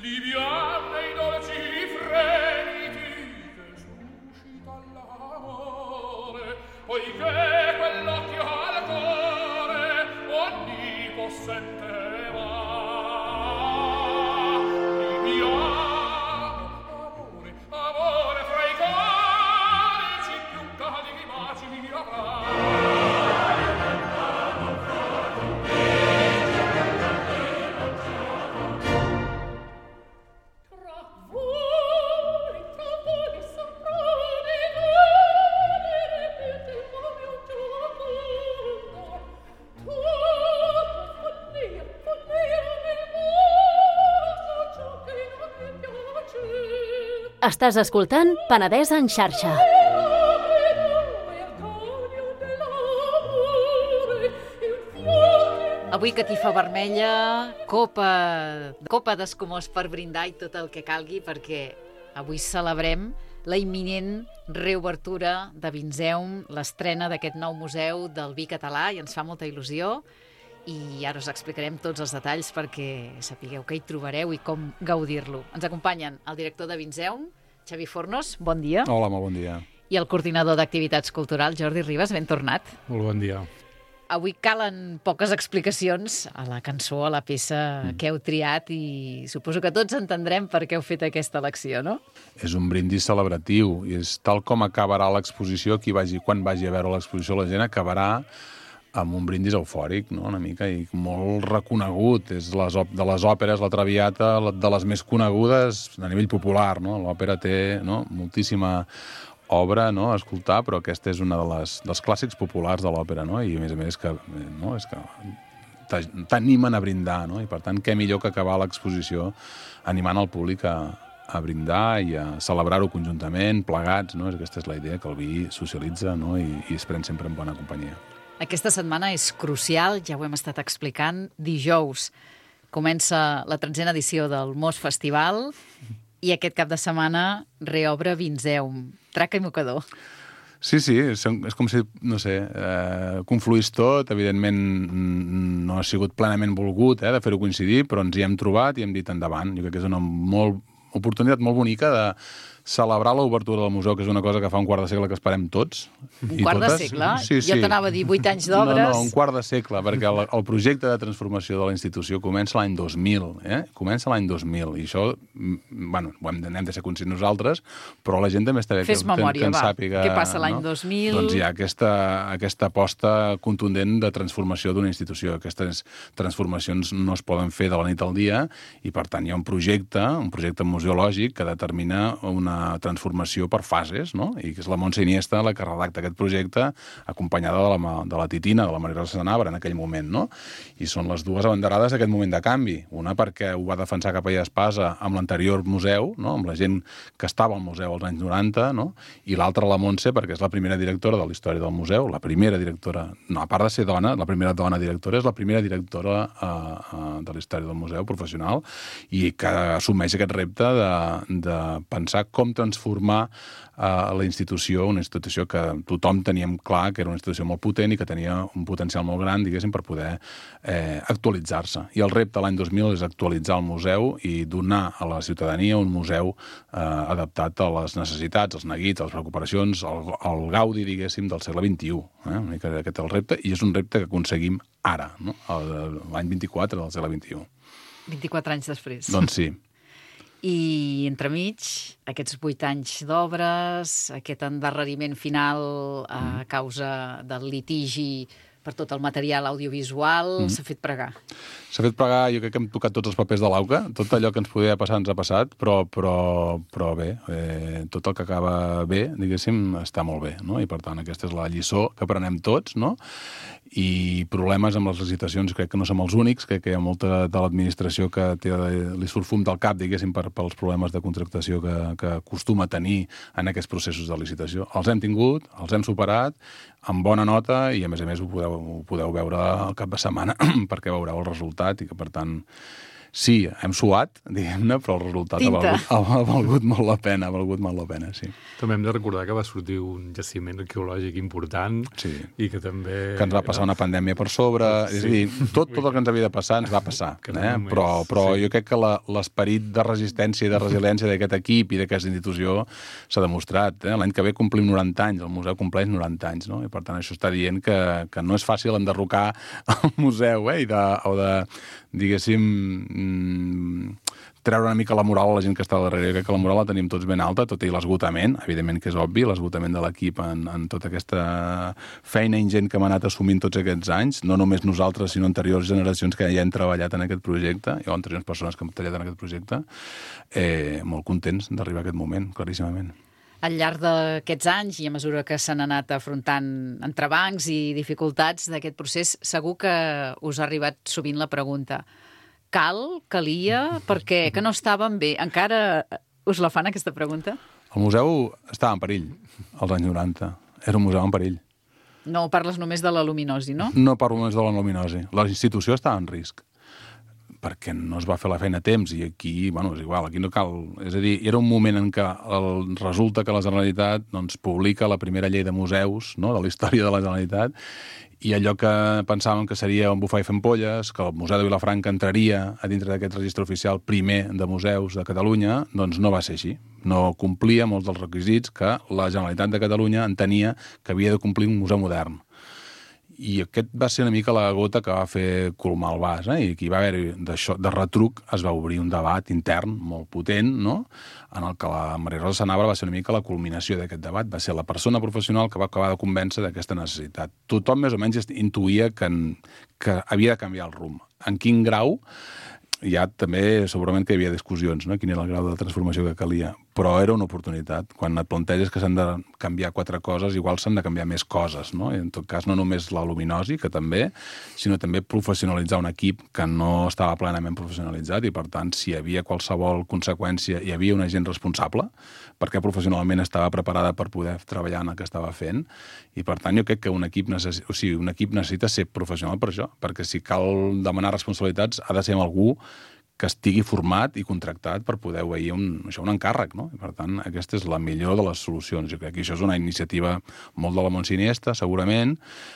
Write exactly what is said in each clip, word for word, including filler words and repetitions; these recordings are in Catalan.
liviane i dolci fremiti che suscita l'amore, poiché quell'occhio al cuore onnipossente va. Liviano, amore, amore fra i conici più caldi macini avrà. Estàs escoltant Penedès en xarxa. Avui catifa vermella, copa, copa d'escumós per brindar i tot el que calgui, perquè avui celebrem la imminent reobertura de Vinzeum, l'estrena d'aquest nou museu del vi català, i ens fa molta il·lusió. I ara us explicarem tots els detalls perquè sapigueu què hi trobareu i com gaudir-lo. Ens acompanyen el director de Vinzeum, Xavi Fornos, bon dia. Hola, molt bon dia. I el coordinador d'activitats culturals, Jordi Ribas, ben tornat. Molt bon dia. Avui calen poques explicacions a la cançó, a la peça mm. que heu triat, i suposo que tots entendrem per què heu fet aquesta elecció, no? És un brindis celebratiu, i és tal com acabarà l'exposició, qui vagi, quan vagi a veure l'exposició, la gent acabarà amb un brindis eufòric, no?, una mica, i molt reconegut. És les, de les òperes, la Traviata, de les més conegudes a nivell popular, no? L'òpera té, no?, moltíssima obra, no?, a escoltar, però aquesta és una de les, dels clàssics populars de l'òpera, no?, i a més a més que, no?, és que t'animen a brindar, no?, i per tant, què millor que acabar l'exposició animant el públic a, a brindar i a celebrar-ho conjuntament, plegats, no?, aquesta és la idea, que el vi socialitza, no?, i, i es pren sempre en bona companyia. Aquesta setmana és crucial, ja ho hem estat explicant. Dijous comença la tretzena edició del Mos Festival i aquest cap de setmana reobre Vinzeum. Traca i mocador. Sí, sí, és, és com si, no sé, eh, confluís tot. Evidentment no ha sigut plenament volgut eh, de fer-ho coincidir, però ens hi hem trobat i hem dit endavant. Jo crec que és una molt, oportunitat molt bonica de celebrar l'obertura del museu, que és una cosa que fa un quart de segle que esperem tots. Un quart totes. de segle? Sí, sí. Jo t'anava a dir vuit anys d'obres. No, no, un quart de segle, perquè el, el projecte de transformació de la institució comença l'any dos mil, eh? Comença l'any dos mil, i això, bueno, ho hem de, hem de ser conscients nosaltres, però la gent també està bé que, Fes memòria, que en va. sàpiga... Què passa l'any no? dos mil? Doncs hi ha aquesta, aquesta aposta contundent de transformació d'una institució. Aquestes transformacions no es poden fer de la nit al dia, i per tant hi ha un projecte, un projecte museològic que determina una transformació per fases, no? I que és la Montse Iniesta la que redacta aquest projecte, acompanyada de la, de la Titina, de la Maria Rosa Sanabra, en aquell moment, no? I són les dues abanderades d'aquest moment de canvi. Una perquè ho va defensar Capellà Espasa amb l'anterior museu, no?, amb la gent que estava al museu als anys noranta, no?, i l'altra la Montse perquè és la primera directora de la història del museu, la primera directora, no, a part de ser dona, la primera dona directora, és la primera directora uh, uh, de la història del museu professional, i que assumeix aquest repte de, de pensar com transformar a la institució, una institució que tothom teníem clar que era una institució molt potent i que tenia un potencial molt gran, diguéssim, per poder eh, actualitzar-se. I el repte l'any dos mil és actualitzar el museu i donar a la ciutadania un museu eh, adaptat a les necessitats, als neguits, a les preocupacions, al, al gaudi, diguéssim, del segle vint-i-u. Eh? Una mica aquest és el repte, i és un repte que aconseguim ara, no? L'any vint-i-quatre del segle vint-i-u. vint-i-quatre anys després. Doncs sí. I entremig, aquests vuit anys d'obres, aquest endarreriment final a causa del litigi per tot el material audiovisual, mm. s'ha fet pregar. S'ha fet pregar, jo crec que hem tocat tots els papers de l'auca, tot allò que ens podia passar ens ha passat, però, però, però bé, eh, tot el que acaba bé, diguéssim, està molt bé, no? I per tant aquesta és la lliçó que prenem tots, no? I problemes amb les licitacions crec que no som els únics, crec que hi ha molta de l'administració que té, li surt fum del cap, diguéssim, per, pels problemes de contractació que, que acostuma a tenir en aquests processos de licitació. Els hem tingut, els hem superat, amb bona nota, i a més a més ho podeu, ho podeu veure al cap de setmana perquè veureu el resultat, i que per tant Sí, hem suat, diguem-ne, però el resultat ha valgut, ha valgut molt la pena, ha valgut molt la pena, sí. També hem de recordar que va sortir un jaciment arqueològic important sí. i que també... Que ens va passar una pandèmia per sobre, sí. És a dir, tot, tot el que ens havia de passar ens va passar, eh? només, però, però sí. jo crec que l'esperit de resistència i de resiliència d'aquest equip i d'aquesta institució s'ha demostrat. Eh? L'any que ve complim noranta anys, el museu compleix noranta anys, no? I per tant això està dient que, que no és fàcil enderrocar el museu, eh? I de, o de, diguéssim, treure una mica la moral a la gent que està al darrere. Jo crec que la moral la tenim tots ben alta, tot i l'esgotament, evidentment que és obvi, l'esgotament de l'equip en, en tota aquesta feina ingent que hem anat assumint tots aquests anys, no només nosaltres, sinó anteriors generacions que ja han treballat en aquest projecte, o anteriors persones que han treballat en aquest projecte, eh, molt contents d'arribar a aquest moment, claríssimament. Al llarg d'aquests anys i a mesura que s'han anat afrontant entrebancs i dificultats d'aquest procés, segur que us ha arribat sovint la pregunta: cal, calia, perquè que no estaven bé? Encara us la fan, aquesta pregunta? El museu estava en perill als anys noranta. Era un museu en perill. No parles només de la luminosi, no? No parlo només de la luminosi. La institució estava en risc perquè no es va fer la feina a temps, i aquí, bueno, és igual, aquí no cal... És a dir, era un moment en què el, resulta que la Generalitat doncs, publica la primera llei de museus, no?, de la història de la Generalitat, i allò que pensàvem que seria un bufar i fer ampolles, que el Museu de Vilafranca entraria a dintre d'aquest registre oficial primer de museus de Catalunya, doncs no va ser així. No complia molts dels requisits que la Generalitat de Catalunya entenia que havia de complir un museu modern. I aquest va ser una mica la gota que va fer colmar el vas, eh? I aquí va haver-hi, de retruc, es va obrir un debat intern molt potent, no?, en el que la Maria Rosa Sanabra va ser una mica la culminació d'aquest debat. Va ser la persona professional que va acabar de convèncer d'aquesta necessitat. Tothom més o menys intuïa que, que havia de canviar el rumb. En quin grau? Ja també segurament que hi havia discussions, no?, quin era el grau de transformació que calia, però era una oportunitat. Quan et planteges que s'han de canviar quatre coses, igual s'han de canviar més coses, no? I en tot cas no només la luminosi, que també, sinó també professionalitzar un equip que no estava plenament professionalitzat, i per tant, si hi havia qualsevol conseqüència, hi havia una gent responsable, perquè professionalment estava preparada per poder treballar en el que estava fent, i per tant jo crec que un equip necessita, o sigui, un equip necessita ser professional per això, perquè si cal demanar responsabilitats ha de ser amb algú que estigui format i contractat per poder obeir un, això, un encàrrec, no? I per tant, aquesta és la millor de les solucions. Jo crec que això és una iniciativa molt de la Montsiniesta, segurament,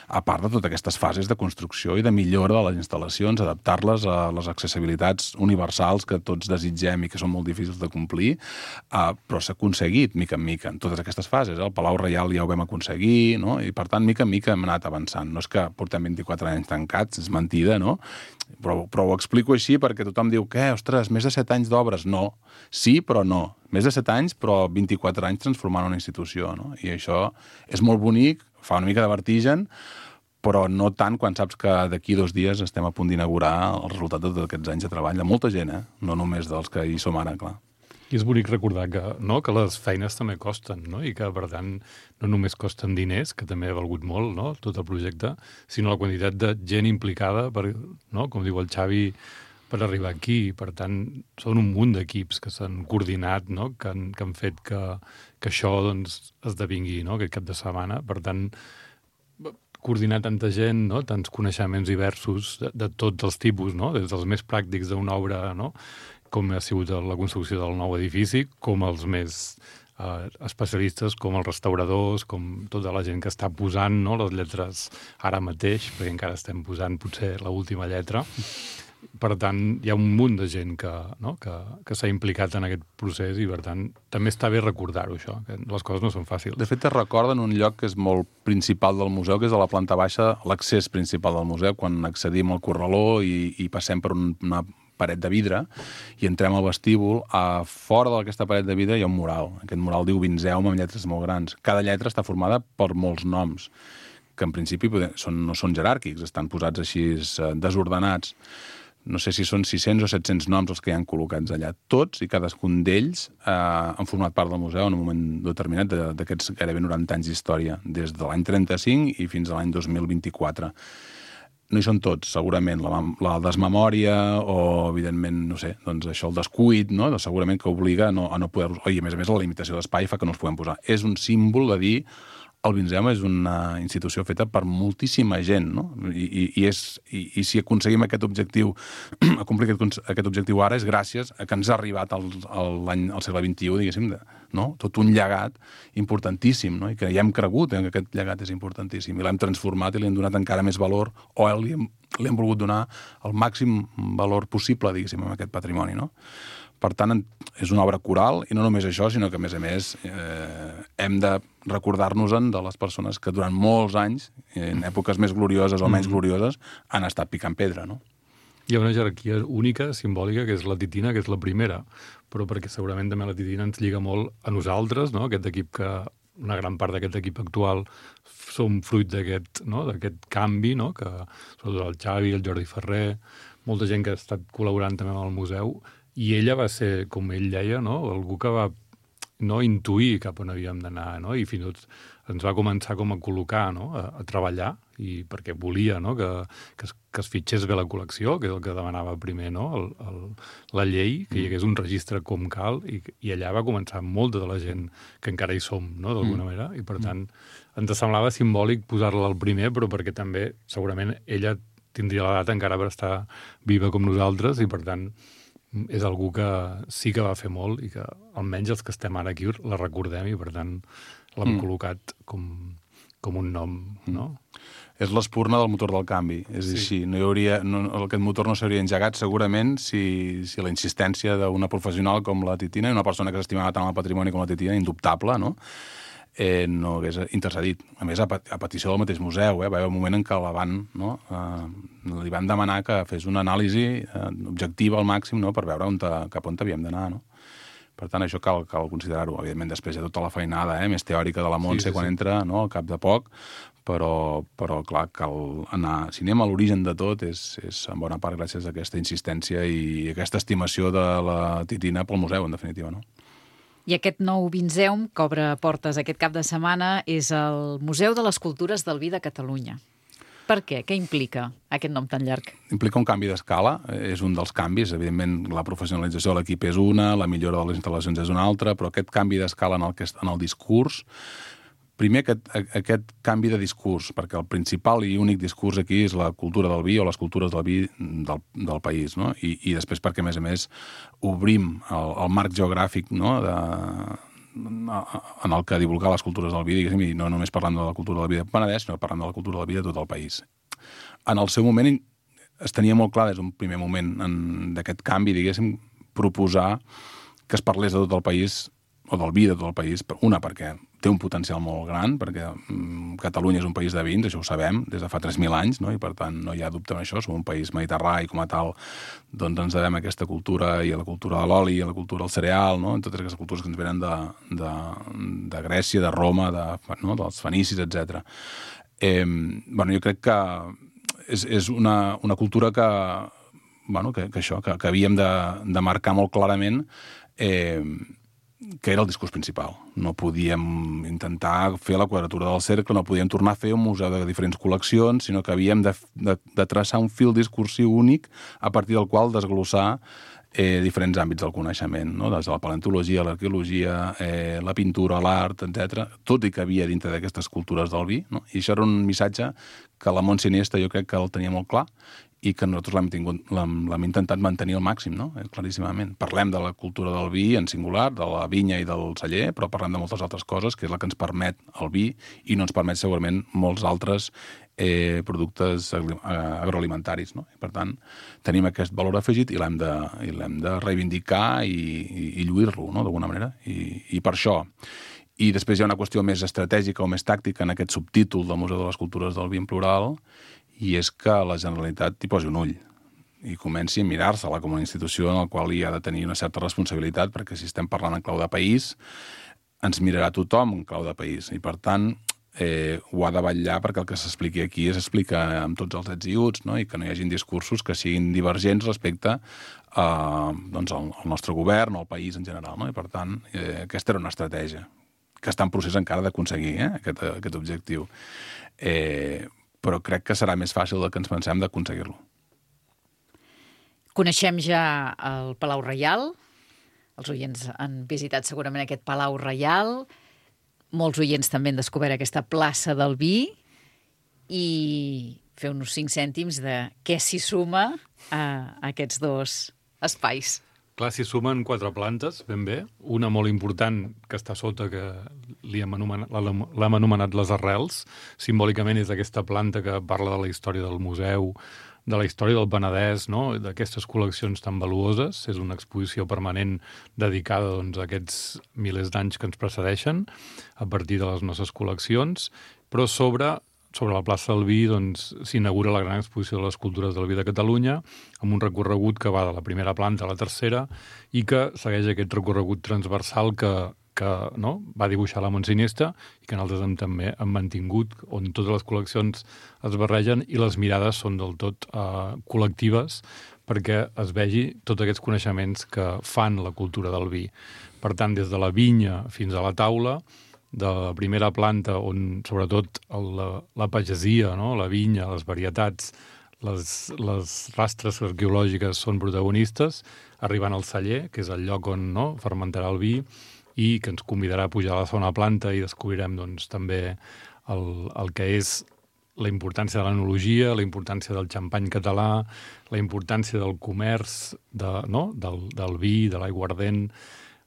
a part de totes aquestes fases de construcció i de millora de les instal·lacions, adaptar-les a les accessibilitats universals que tots desitgem i que són molt difícils de complir, uh, però s'ha aconseguit, mica en mica, en totes aquestes fases. Eh? El Palau Reial ja ho vam aconseguir, no? I per tant, mica en mica hem anat avançant. No és que portem vint-i-quatre anys tancats, és mentida, no? Però, però ho explico així perquè tothom diu que, ostres, més de set anys d'obres. No. Sí, però no. Més de set anys, però vint-i-quatre anys transformant una institució, no? I això és molt bonic, fa una mica de vertigen, però no tant quan saps que d'aquí dos dies estem a punt d'inaugurar el resultat de tots aquests anys de treball de molta gent, eh? No només dels que hi som ara, clar. I és bonic recordar que, no, que les feines també costen, no? I que, per tant, no només costen diners, que també ha valgut molt, no?, tot el projecte, sinó la quantitat de gent implicada, per, no?, com diu el Xavi, per arribar aquí. Per tant, són un munt d'equips que s'han coordinat, no?, que han, que han fet que, que això doncs, esdevingui, no?, aquest cap de setmana. Per tant, coordinar tanta gent, no?, tants coneixements diversos de, de tots els tipus, no?, des dels més pràctics d'una obra, no?, com ha sigut la construcció del nou edifici, com els més eh, especialistes, com els restauradors, com tota la gent que està posant, no?, les lletres ara mateix, perquè encara estem posant potser l'última lletra. Per tant, hi ha un munt de gent que, no?, que, que s'ha implicat en aquest procés i, per tant, també està bé recordar-ho, això, que les coses no són fàcils. De fet, es recorda en un lloc que és molt principal del museu, que és a la planta baixa, l'accés principal del museu, quan accedim al corraló i, i passem per una paret de vidre i entrem al vestíbul. A fora d'aquesta paret de vidre hi ha un mural. Aquest mural diu Vinzeume amb lletres molt grans. Cada lletra està formada per molts noms, que en principi són, no són jeràrquics, estan posats així desordenats. No sé si són sis-cents o set-cents noms els que hi han col·locats allà. Tots i cadascun d'ells eh, han format part del museu en un moment determinat d'aquests gairebé noranta anys d'història, des de l'any trenta-cinc i fins a l'any dos mil vint-i-quatre. No hi són tots, segurament, la, la desmemòria o, evidentment, no sé, doncs això, el descuit, no?, doncs segurament que obliga a no, a no poder-los... Oi, a més a més, la limitació d'espai fa que no els puguem posar. És un símbol de dir el Vinceum és una institució feta per moltíssima gent, no? I, i, i, és, i, i si aconseguim aquest objectiu, acomplir aquest, aquest objectiu ara, és gràcies a que ens ha arribat al, al, l'any, al segle vint-i-u, diguéssim, de, no? Tot un llegat importantíssim, no? I que hi hem cregut eh, que aquest llegat és importantíssim, i l'hem transformat i li hem donat encara més valor, o li hem, li hem volgut donar el màxim valor possible, diguéssim, a aquest patrimoni, no? Per tant, és una obra coral, i no només això, sinó que, a més a més, eh, hem de recordar-nos-en de les persones que durant molts anys, en èpoques més glorioses o menys glorioses, han estat picant pedra, no? Hi ha una jerarquia única, simbòlica, que és la Titina, que és la primera, però perquè segurament també la Titina ens lliga molt a nosaltres, no? Aquest equip que, una gran part d'aquest equip actual som fruit d'aquest, no? D'aquest canvi, no? Que sobretot el Xavi, el Jordi Ferrer, molta gent que ha estat col·laborant també amb el museu, i ella va ser, com ell deia, no? Algú que va no, intuir cap on havíem d'anar, no? I fins i tot ens va començar com a col·locar, no? a, a treballar, i perquè volia, no? que, que, es, que es fitxés bé la col·lecció, que és el que demanava primer, no? el, el, la llei, que hi hagués un registre com cal, i, i allà va començar molta de la gent que encara hi som, no? d'alguna manera, i per tant ens semblava simbòlic posar-la al primer, però perquè també segurament ella tindria l'edat encara per estar viva com nosaltres, i per tant és algú que sí que va fer molt i que almenys els que estem ara aquí la recordem i per tant l'hem mm. col·locat com, com un nom, no? Mm. És l'espurna del motor del canvi, és sí. així. No hi hauria, no, aquest motor no s'hauria engegat segurament si, si la insistència d'una professional com la Titina, i una persona que s'estimava tant el patrimoni com la Titina, indubtable, no? Eh, no hagués intercedit. A més, a, a petició del mateix museu, eh, va haver un moment en què la van, no, eh, li van demanar que fes una anàlisi eh, objectiva al màxim, no, per veure on te, cap on havíem d'anar, no? Per tant, això cal, cal considerar-ho. Evidentment, després hi ha tota la feinada eh, més teòrica de la Montse sí, sí, quan sí. entra, no, al cap de poc, però, però clar, cal anar... Si anem a l'origen de tot, és, és en bona part gràcies a aquesta insistència i aquesta estimació de la Titina pel museu, en definitiva, no? I aquest nou Vinceum, que obre portes aquest cap de setmana, és el Museu de les Cultures del Vi de Catalunya. Per què? Què implica aquest nom tan llarg? Implica un canvi d'escala, és un dels canvis. Evidentment, la professionalització de l'equip és una, la millora de les instal·lacions és una altra, però aquest canvi d'escala en, el que, en el discurs... Primer, aquest, aquest canvi de discurs, perquè el principal i únic discurs aquí és la cultura del vi o les cultures del vi del, del país, no? I, i després perquè, a més a més, obrim el, el marc geogràfic, no?, de, en el que divulgar les cultures del vi, diguéssim, i no només parlant de la cultura del vi de Penedès, sinó parlant de la cultura del vi de tot el país. En el seu moment es tenia molt clar, des d'un primer moment d'aquest canvi, diguéssim, proposar que es parlés de tot el país, o del vi de tot el país, una, perquè té un potencial molt gran, perquè mm, Catalunya és un país de vins, això ho sabem, des de fa tres mil anys, no? I per tant no hi ha dubte en això, som un país mediterrani i com a tal doncs ens devem a aquesta cultura i a la cultura de l'oli, a la cultura del cereal, no? En totes aquestes cultures que ens venen de, de, de Grècia, de Roma, de, no? dels fenicis, etcètera. Eh, bueno, jo crec que és, és una, una cultura que, bueno, que, que això, que, que havíem de, de marcar molt clarament eh, que era el discurs principal. No podíem intentar fer la quadratura del cercle, no podíem tornar a fer un museu de diferents col·leccions, sinó que havíem de, de, de traçar un fil discursiu únic a partir del qual desglossar eh, diferents àmbits del coneixement, no? Des de la paleontologia, l'arqueologia, eh, la pintura, l'art, etcètera, tot i que havia dintre d'aquestes cultures del vi, no? I això era un missatge que la Montse Iniesta jo crec que el tenia molt clar, i que nosaltres l'hem tingut, l'hem, l'hem intentat mantenir al màxim, no? Eh, claríssimament. Parlem de la cultura del vi en singular, de la vinya i del celler, però parlem de moltes altres coses, que és la que ens permet el vi i no ens permet segurament molts altres eh, productes agroalimentaris, no? I per tant, tenim aquest valor afegit i l'hem de, i l'hem de reivindicar i, i, i lluir-lo, no?, d'alguna manera. I, I per això... I després hi ha una qüestió més estratègica o més tàctica en aquest subtítol del Museu de les Cultures del Vi en plural, i és que la Generalitat hi posi un ull i comenci a mirar-se-la com una institució en la qual hi ha de tenir una certa responsabilitat, perquè si estem parlant en clau de país, ens mirarà tothom en clau de país. I, per tant, eh, ho ha de vetllar perquè el que s'expliqui aquí s'explica amb tots els ets i uts, no? I que no hi hagin discursos que siguin divergents respecte a, doncs, al, al nostre govern o al país en general, no? I, per tant, eh, aquesta era una estratègia que està en procés encara d'aconseguir eh, aquest, aquest objectiu. Eh, però crec que serà més fàcil del que ens pensem d'aconseguir-lo. Coneixem ja el Palau Reial. Els oients han visitat segurament aquest Palau Reial. molts oients també han descobert aquesta plaça del vi i feu-nos cinc cèntims de què s'hi suma a aquests dos espais. Clar, s'hi sumen quatre plantes, ben bé. Una molt important que està sota, que li hem anomenat, l'hem anomenat les arrels. Simbòlicament és aquesta planta que parla de la història del museu, de la història del Penedès, no? D'aquestes col·leccions tan valuoses. És una exposició permanent dedicada doncs, a aquests milers d'anys que ens precedeixen, a partir de les nostres col·leccions, però sobre... Sobre la plaça del Vi doncs, s'inaugura la gran exposició de les cultures del vi de Catalunya, amb un recorregut que va de la primera planta a la tercera i que segueix aquest recorregut transversal que, que no, va dibuixar la Montsiniesta i que nosaltres hem, també hem mantingut, on totes les col·leccions es barregen i les mirades són del tot eh, col·lectives perquè es vegi tots aquests coneixements que fan la cultura del vi. Per tant, des de la vinya fins a la taula, de la primera planta, on sobretot el, la, la pagesia, no? La vinya, les varietats, les, les rastres arqueològiques són protagonistes, arribant al celler, que és el lloc on no, fermentarà el vi, i que ens convidarà a pujar a la segona planta i descobrirem doncs, també el, el que és la importància de l'enologia, la importància del xampany català, la importància del comerç, de, no? del, del vi, de l'aiguardent,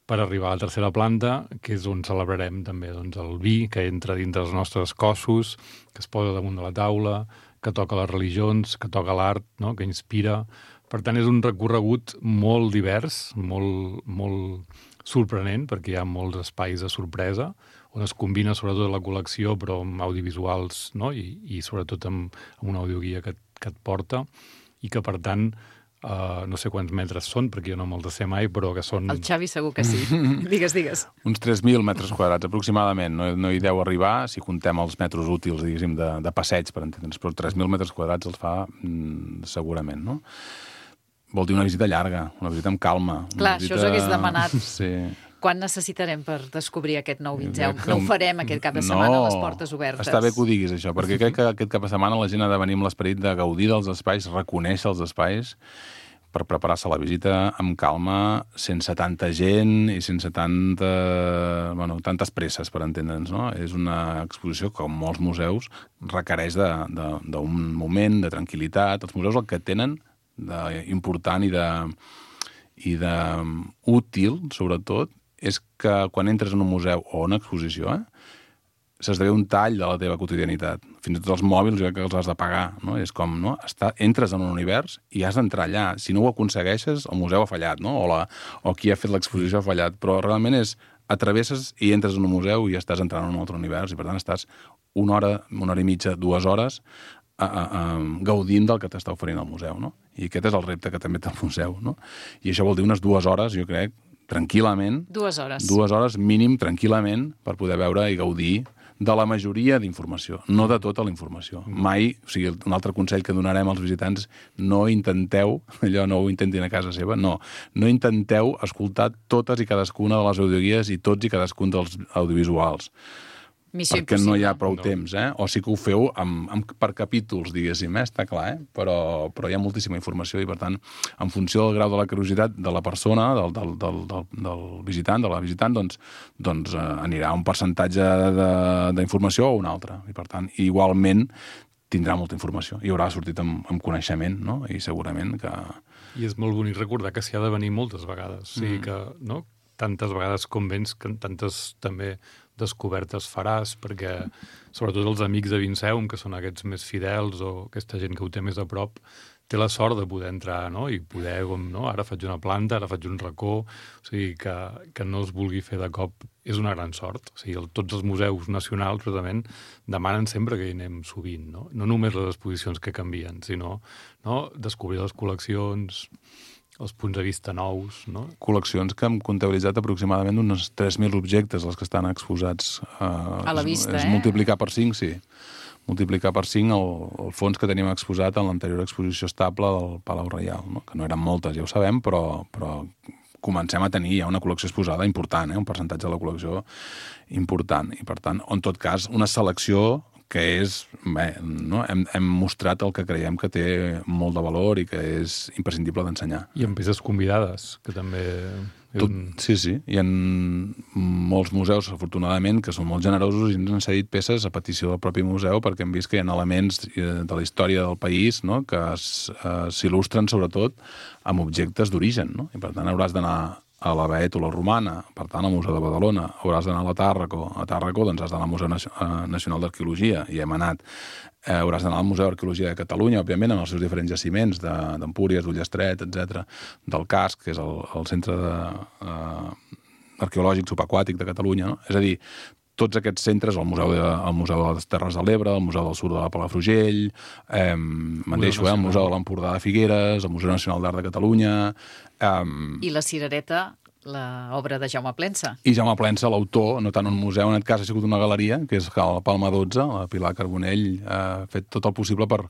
per arribar a la tercera planta, que és on celebrarem també doncs, el vi que entra dintre dels nostres cossos, que es posa damunt de la taula, que toca les religions, que toca l'art, no? Que inspira. Per tant, és un recorregut molt divers, molt, molt sorprenent, perquè hi ha molts espais de sorpresa, on es combina sobretot la col·lecció, però amb audiovisuals, no? I, i sobretot amb, amb una audioguia que, que et porta, i que, per tant, Uh, no sé quants metres són, perquè jo no me'ls sé mai, però que són... El Xavi segur que sí. Digues, digues. Uns tres mil metres quadrats, aproximadament. No, no hi deu arribar, si contem els metres útils, diguéssim, de, de passeig, per entendre'ns, però tres mil metres quadrats els fa mm, segurament, no? Vol dir una visita llarga, una visita amb calma. Clar, visita... això us hagués demanat. Sí. Quan necessitarem per descobrir aquest nou Vinzeu? No ho farem aquest cap de setmana no, a les portes obertes. Està bé que ho diguis, això, perquè crec que aquest cap de setmana la gent ha de venir amb l'esperit de gaudir dels espais, reconèixer els espais, per preparar-se a la visita amb calma, sense tanta gent i sense tanta, bueno, tantes presses, per entendre'ns, no? És una exposició que, com molts museus, requereix d'un moment de tranquil·litat. Els museus el que tenen d'important i de, i de útil, sobretot, és que quan entres en un museu o una exposició, eh, s'esdevé un tall de la teva quotidianitat. Fins i tot els mòbils, jo crec que els has de pagar, no? És com, no? Està, entres en un univers i has d'entrar allà. Si no ho aconsegueixes, el museu ha fallat, no? O, la, o qui ha fet l'exposició ha fallat. Però realment és, atravesses i entres en un museu i estàs entrant en un altre univers i, per tant, estàs una hora, una hora i mitja, dues hores a, a, a, gaudint del que t'està oferint el museu, no? I aquest és el repte que també té el museu, no? I això vol dir unes dues hores, jo crec, tranquil·lament. Dues hores. Dues hores mínim, tranquil·lament, per poder veure i gaudir de la majoria d'informació, no de tota la informació. Mai, o sigui, un altre consell que donarem als visitants, no intenteu, allò no ho intentin a casa seva, no, no intenteu escoltar totes i cadascuna de les audioguies i tots i cadascun dels audiovisuals. Missió perquè impossible. No hi ha prou No. temps, eh? O sí que ho feu amb, amb, per capítols, diguéssim, eh? Està clar, eh? Però, però hi ha moltíssima informació i, per tant, en funció del grau de la curiositat de la persona, del, del, del, del, del visitant, de la visitant, doncs, doncs eh, anirà un percentatge d'informació o un altre. I, per tant, igualment tindrà molta informació. I haurà sortit amb, amb coneixement, no? I segurament que... I és molt bonic recordar que s'hi ha de venir moltes vegades. O sigui que, no?, tantes vegades com vens, que tantes també descobertes faràs, perquè sobretot els amics de Vinceum, que són aquests més fidels o aquesta gent que ho té més a prop, té la sort de poder entrar, no?, i poder, com, no?, ara faig una planta, ara faig un racó, o sigui, que, que no es vulgui fer de cop és una gran sort. O sigui, el, tots els museus nacionals, precisament, demanen sempre que hi anem sovint, no? No només les exposicions que canvien, sinó, no?, descobrir les col·leccions, els punts de vista nous, no? Col·leccions que hem comptabilitzat aproximadament uns tres mil objectes, els que estan exposats. Eh, a la vista, és, és eh? multiplicar per cinc, sí. Multiplicar per cinc el, el fons que teníem exposat en l'anterior exposició estable del Palau Reial, no? Que no eren moltes, ja ho sabem, però, però comencem a tenir ja una col·lecció exposada important, eh? Un percentatge de la col·lecció important. I, per tant, en tot cas, una selecció que és, bé, no? hem, hem mostrat el que creiem que té molt de valor i que és imprescindible d'ensenyar. I amb peces convidades, que també... Tot, sí, sí. Hi ha molts museus, afortunadament, que són molt generosos i ens han cedit peces a petició del propi museu perquè hem vist que hi ha elements de la història del país, no?, que s'il·lustren sobretot amb objectes d'origen, no? I per tant hauràs d'anar a la Bètola Romana, per tant al Museu de Badalona, hauràs d'anar a la Tàrraco, a Tàrraco doncs has d'anar al Museu Nacional d'Arqueologia, i hem anat, eh, hauràs d'anar al Museu d'Arqueologia de Catalunya, òbviament, amb els seus diferents jaciments d'Empúries, d'Ullastret, etcètera, del Casc, que és el, el centre de, eh, arqueològic subaquàtic de Catalunya, no? És a dir, tots aquests centres, el Museu de, el Museu de les Terres de l'Ebre, el Museu del Sur de la Palafrugell, eh, me'n deixo, eh, el Museu de l'Empordà de Figueres, el Museu Nacional d'Art de Catalunya... Eh, I la Cirereta, l'obra de Jaume Plensa. I Jaume Plensa, l'autor, no tant un museu, en aquest cas ha sigut una galeria, que és la Palma dotze, la Pilar Carbonell ha fet tot el possible per,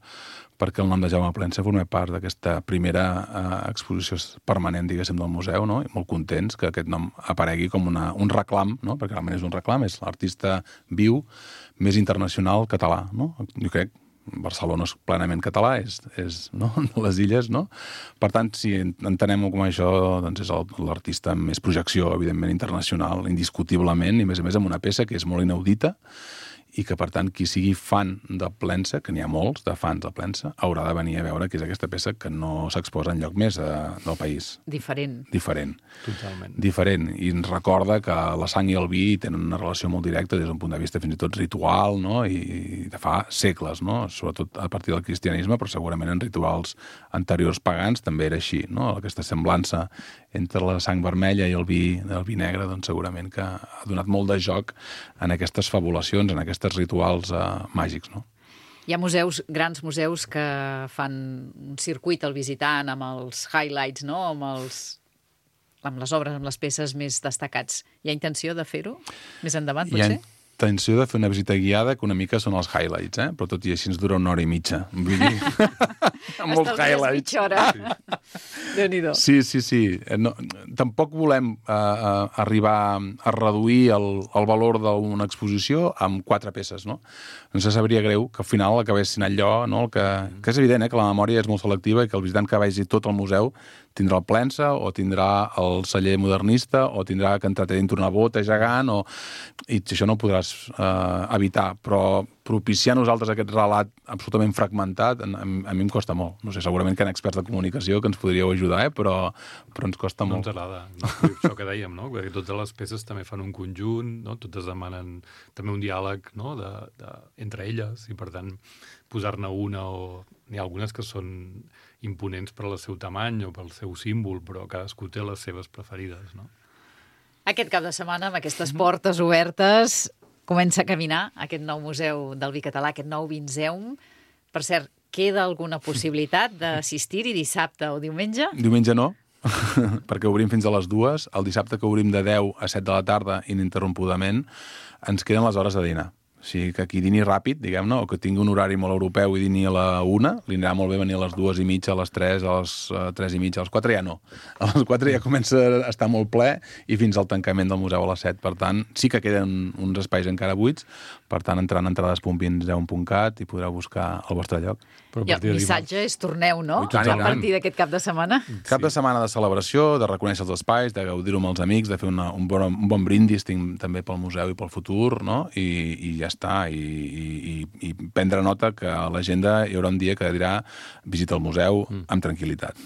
perquè el nom de Jaume Plensa forma part d'aquesta primera eh, exposició permanent, diguéssim, del museu, no? I molt contents que aquest nom aparegui com una, un reclam, no? Perquè realment és un reclam, és l'artista viu més internacional català, no? Jo crec Barcelona és plenament català, és, és no? de les illes, no? Per tant, si entenem com això, doncs és l'artista amb més projecció, evidentment, internacional, indiscutiblement, i a més a més amb una peça que és molt inaudita, i que, per tant, qui sigui fan de Plensa, que n'hi ha molts de fans de Plensa, haurà de venir a veure que és aquesta peça que no s'exposa enlloc més de, del país. Diferent. Diferent. Totalment. Diferent. I ens recorda que la sang i el vi tenen una relació molt directa des d'un punt de vista fins i tot ritual, no? I de fa segles, no? Sobretot a partir del cristianisme, però segurament en rituals anteriors pagans també era així, no? Aquesta semblança entre la sang vermella i el vi, el vi negre, doncs segurament que ha donat molt de joc en aquestes fabulacions, en aquests rituals eh, màgics, no? Hi ha museus, grans museus, que fan un circuit al visitant amb els highlights, no? Amb, els, amb les obres, amb les peces més destacats. Hi ha intenció de fer-ho més endavant, potser? Hi ha intenció de fer una visita guiada que una mica són els highlights, eh? Però tot i així ens dura una hora i mitja. Vull dir, amb molts highlights. Mitja hora. Sí. Déu-n'hi-do. Sí, sí, sí. No, tampoc volem uh, uh, arribar a reduir el, el valor d'una exposició amb quatre peces, no? No se sabria greu que al final acabessin allò, no? El que, que és evident, eh, que la memòria és molt selectiva i que el visitant que vagi tot el museu tindrà el Plensa, o tindrà el celler modernista, o tindrà que entrar dintre una bota gegant, o... i això no ho podràs eh, evitar, però propiciar a nosaltres aquest relat absolutament fragmentat, a, a mi em costa molt. No sé, segurament que hi ha experts de comunicació que ens podríeu ajudar, eh? però, però ens costa no molt. No ens agrada. No? Això que dèiem, no? Perquè totes les peces també fan un conjunt, no? Totes demanen també un diàleg, no? de, de, entre elles, i per tant posar-ne una o... N'hi ha algunes que són imponents per al seu tamany o pel seu símbol, però cadascú té les seves preferides, no? Aquest cap de setmana, amb aquestes portes obertes, comença a caminar aquest nou museu del vi català, aquest nou Vinzeum. Per cert, queda alguna possibilitat d'assistir-hi dissabte o diumenge? Diumenge no, perquè obrim fins a les dues. El dissabte que obrim de deu a set de la tarda ininterrompudament, ens queden les hores de dinar. O sigui, que qui dini ràpid, diguem-ne, o que tingui un horari molt europeu i dini a la una, li anirà molt bé venir a les dues i mitja, a les tres, a les uh, tres i mitja, a les quatre ja no. A les quatre ja comença a estar molt ple i fins al tancament del museu a les set. Per tant, sí que queden uns espais encara buits, per tant, entrant a entrades punt vinzeum punt cat i podreu buscar el vostre lloc. I el missatge és torneu, no? I tant, a partir d'aquest cap de setmana. Cap de setmana de celebració, de reconèixer els espais, de gaudir-ho amb els amics, de fer una, un, bon, un bon brindis tinc, també pel museu i pel futur, no? I, i ja està. I, i, i prendre nota que a l'agenda hi haurà un dia que dirà visita al museu amb tranquil·litat.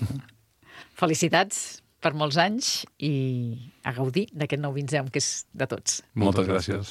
Felicitats per molts anys i a gaudir d'aquest nou Vinzeum que és de tots. Moltes gràcies.